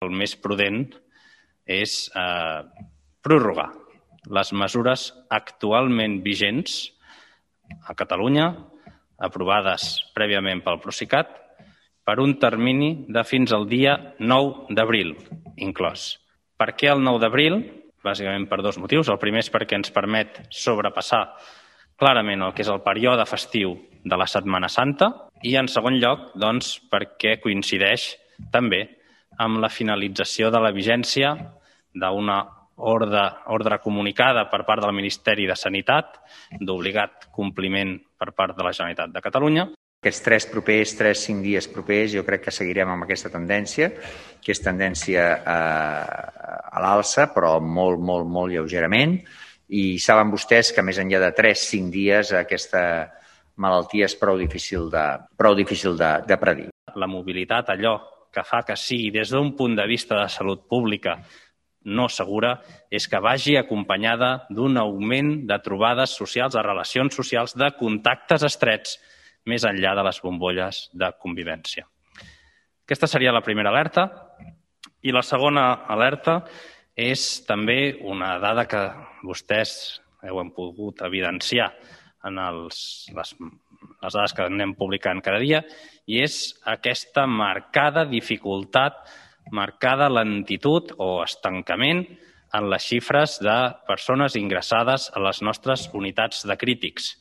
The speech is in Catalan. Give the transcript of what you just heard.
El més prudent és prorrogar les mesures actualment vigents a Catalunya, aprovades prèviament pel Procicat, per un termini de fins al dia 9 d'abril, inclòs. Per què el 9 d'abril? Bàsicament per dos motius. El primer és perquè ens permet sobrepassar clarament el que és el període festiu de la Setmana Santa i, en segon lloc, doncs, perquè coincideix també amb la finalització de la vigència d'una ordre comunicada per part del Ministeri de Sanitat, d'obligat compliment per part de la Generalitat de Catalunya. Aquests 3-5 dies propers, jo crec que seguirem amb aquesta tendència, que és tendència a l'alça, però molt lleugerament. I saben vostès que més enllà de 3-5 dies aquesta malaltia és prou difícil de predir. La mobilitat, allò que fa que sigui des d'un punt de vista de salut pública no segura, és que vagi acompanyada d'un augment de trobades socials, de relacions socials, de contactes estrets, més enllà de les bombolles de convivència. Aquesta seria la primera alerta. I la segona alerta és també una dada que vostès heu pogut evidenciar en les dades que anem publicant cada dia, i és aquesta marcada dificultat, marcada lentitud o estancament en les xifres de persones ingressades a les nostres unitats de crítics.